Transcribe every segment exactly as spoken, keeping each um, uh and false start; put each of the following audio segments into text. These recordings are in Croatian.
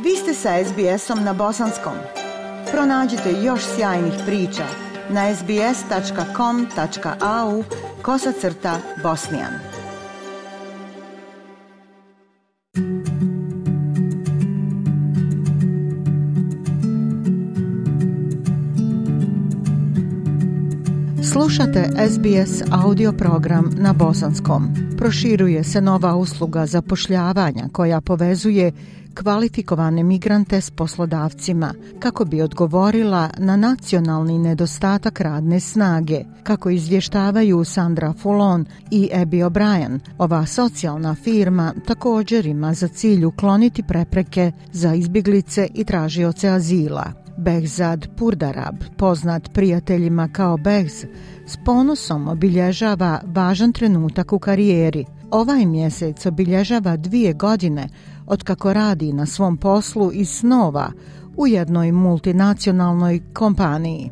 Vi ste sa es be esom na bosanskom. Pronađite još sjajnih priča na es be es tačka com tačka a u kosacrta bosnijan. Slušate es be es audio program na bosanskom. Proširuje se nova usluga zapošljavanja koja povezuje kvalifikovane migrante s poslodavcima kako bi odgovorila na nacionalni nedostatak radne snage. Kako izvještavaju Sandra Fulon i Abby O'Brien, ova socijalna firma također ima za cilj ukloniti prepreke za izbjeglice i tražioce azila. Behzad Purdarab, poznat prijateljima kao Behz, s ponosom obilježava važan trenutak u karijeri. Ovaj mjesec obilježava dvije godine otkako radi na svom poslu iz snova u jednoj multinacionalnoj kompaniji.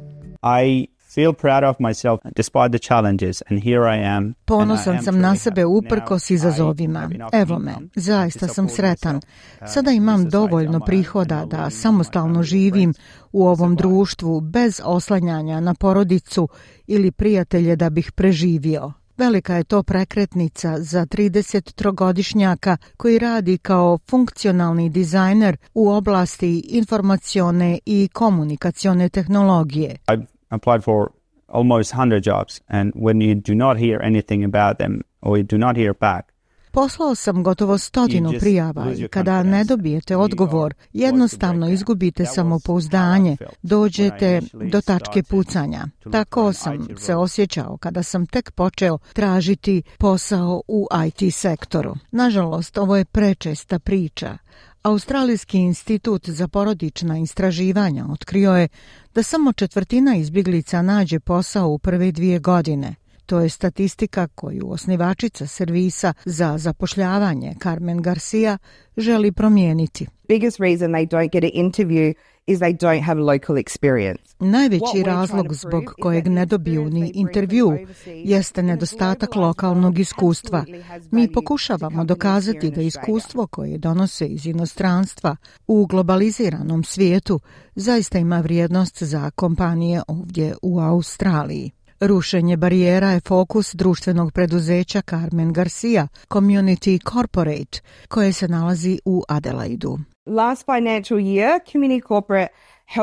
I feel proud of myself despite the challenges and here I am. Ponosan sam na sebe uprkos izazovima. Evo me, zaista sam sretan. Sada imam dovoljno prihoda da samostalno živim u ovom društvu bez oslanjanja na porodicu ili prijatelje da bih preživio. Velika je to prekretnica za tridesettrogodišnjaka koji radi kao funkcionalni dizajner u oblasti informacione i komunikacione tehnologije. I've applied for almost one hundred jobs and when you do not hear anything about them or you do not hear back. Poslao sam gotovo stotinu prijava i kada ne dobijete odgovor, jednostavno izgubite samopouzdanje, dođete do tačke pucanja. Tako sam se osjećao kada sam tek počeo tražiti posao u i te sektoru. Nažalost, ovo je prečesta priča. Australijski institut za porodična istraživanja otkrio je da samo četvrtina izbjeglica nađe posao u prve dvije godine. To je statistika koju osnivačica servisa za zapošljavanje Carmen Garcia želi promijeniti. Biggest reason they don't get an interview is they don't have local experience. Najveći razlog zbog kojeg ne dobiju ni intervju jeste nedostatak lokalnog iskustva. Mi pokušavamo dokazati da iskustvo koje donose iz inostranstva u globaliziranom svijetu zaista ima vrijednost za kompanije ovdje u Australiji. Rušenje barijera je fokus društvenog preduzeća Carmen Garcia, Community Corporate, koje se nalazi u Adelaidu. Last financial year, Community Corporate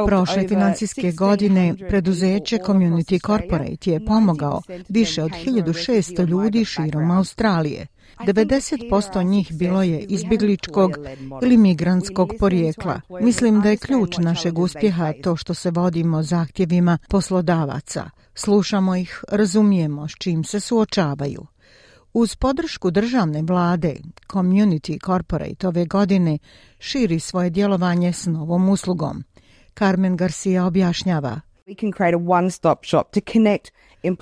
Prošle financijske godine preduzeće Community Corporate je pomogao više od hiljadu šesto ljudi širom Australije. devedeset posto njih bilo je izbjegličkog ili migrantskog porijekla. Mislim da je ključ našeg uspjeha to što se vodimo zahtjevima poslodavaca. Slušamo ih, razumijemo s čim se suočavaju. Uz podršku državne vlade, Community Corporate ove godine širi svoje djelovanje s novom uslugom. Carmen Garcia objašnjava.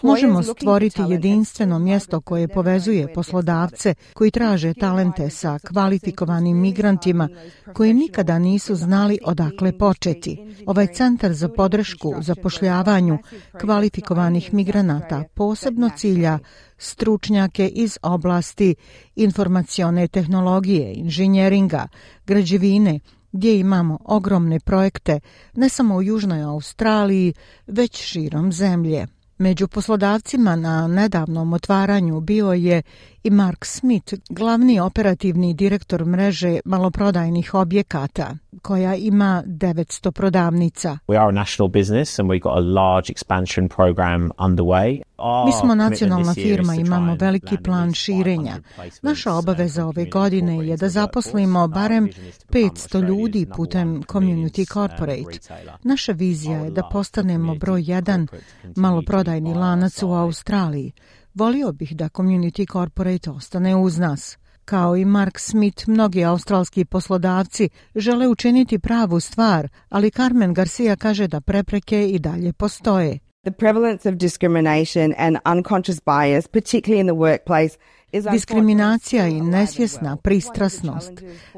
Možemo stvoriti jedinstveno mjesto koje povezuje poslodavce koji traže talente sa kvalifikovanim migrantima koji nikada nisu znali odakle početi. Ovaj centar za podršku zapošljavanju kvalifikovanih migranata posebno cilja stručnjake iz oblasti informacione tehnologije, inženjeringa, građevine, gdje imamo ogromne projekte ne samo u Južnoj Australiji, već širom zemlje. Među poslodavcima na nedavnom otvaranju bio je i Mark Smith, glavni operativni direktor mreže maloprodajnih objekata, koja ima devetsto prodavnica. We are a national business and we've got a large expansion program underway. Mi smo nacionalna firma, imamo veliki plan širenja. Naša obaveza ove godine je da zaposlimo barem petsto ljudi putem Community Corporate. Naša vizija je da postanemo broj jedan maloprodajni lanac u Australiji. Volio bih da Community Corporate ostane uz nas. Kao i Mark Smith, mnogi australski poslodavci žele učiniti pravu stvar, ali Carmen Garcia kaže da prepreke i dalje postoje. The prevalence of discrimination and unconscious bias, particularly in the workplace, Diskriminacija i nesvjesna pristrasnost,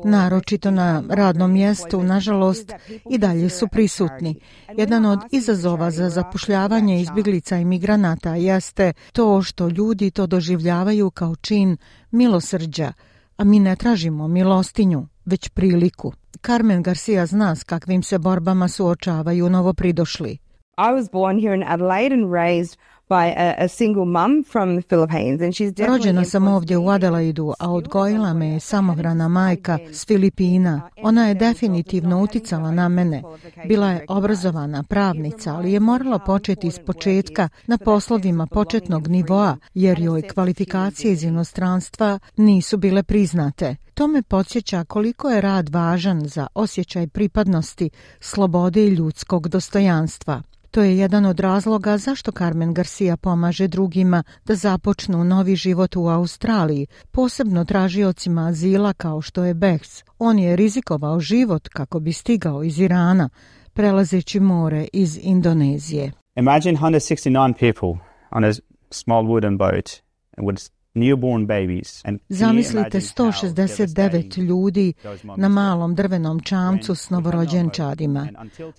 naročito na radnom mjestu, nažalost, i dalje su prisutni. Jedan od izazova za zapošljavanje izbjeglica i migranata jeste to što ljudi to doživljavaju kao čin milosrđa, a mi ne tražimo milostinju, već priliku. Carmen Garcia zna s kakvim se borbama suočavaju novopridošli. I was born here in Adelaide and raised by a, a single mum from the Philippines, and she's definitely Rođena sam ovdje u Adelaidu, a odgojila me je samohrana majka s Filipina. Ona je definitivno uticala na mene. Bila je obrazovana pravnica, ali je morala početi iz početka na poslovima početnog nivoa, jer joj kvalifikacije iz inostranstva nisu bile priznate. To me podsjeća koliko je rad važan za osjećaj pripadnosti, slobode i ljudskog dostojanstva. To je jedan od razloga zašto Carmen Garcia pomaže drugima da započnu novi život u Australiji, posebno tražiocima azila kao što je Behz. On je rizikovao život kako bi stigao iz Irana, prelazeći more iz Indonezije. Imagine one hundred sixty-nine people on a small wooden boat with newborn babies. And Zamislite sto šezdeset devet ljudi na malom drvenom čamcu s novorođenčadima.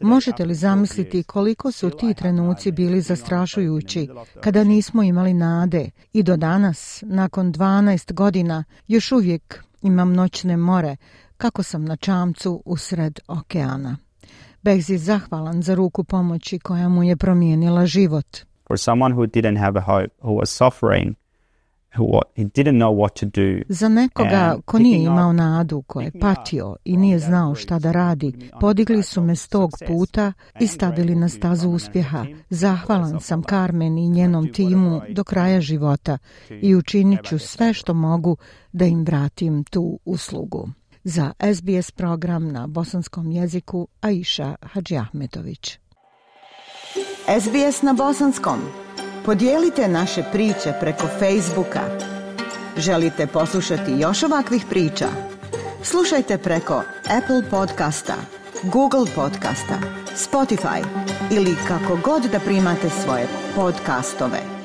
Možete li zamisliti koliko su ti trenuci bili zastrašujući kada nismo imali nade i do danas, nakon dvanaest godina, još uvijek imam noćne more kako sam na čamcu usred okeana. Behz je zahvalan za ruku pomoći koja mu je promijenila život. For someone who didn't have a hope, who was suffering, who he didn't know what to do. Za nekoga ko nije imao nadu, ko je patio i nije znao šta da radi, podigli su me s tog puta i stavili na stazu uspjeha. Zahvalan sam Carmen i njenom timu do kraja života i učinit ću sve što mogu da im vratim tu uslugu. Za S B S program na bosanskom jeziku Aisha Hadžiahmetović. S B S na bosanskom. Podijelite naše priče preko Facebooka. Želite poslušati još ovakvih priča? Slušajte preko Apple podcasta, Google podcasta, Spotify ili kako god da primate svoje podcastove.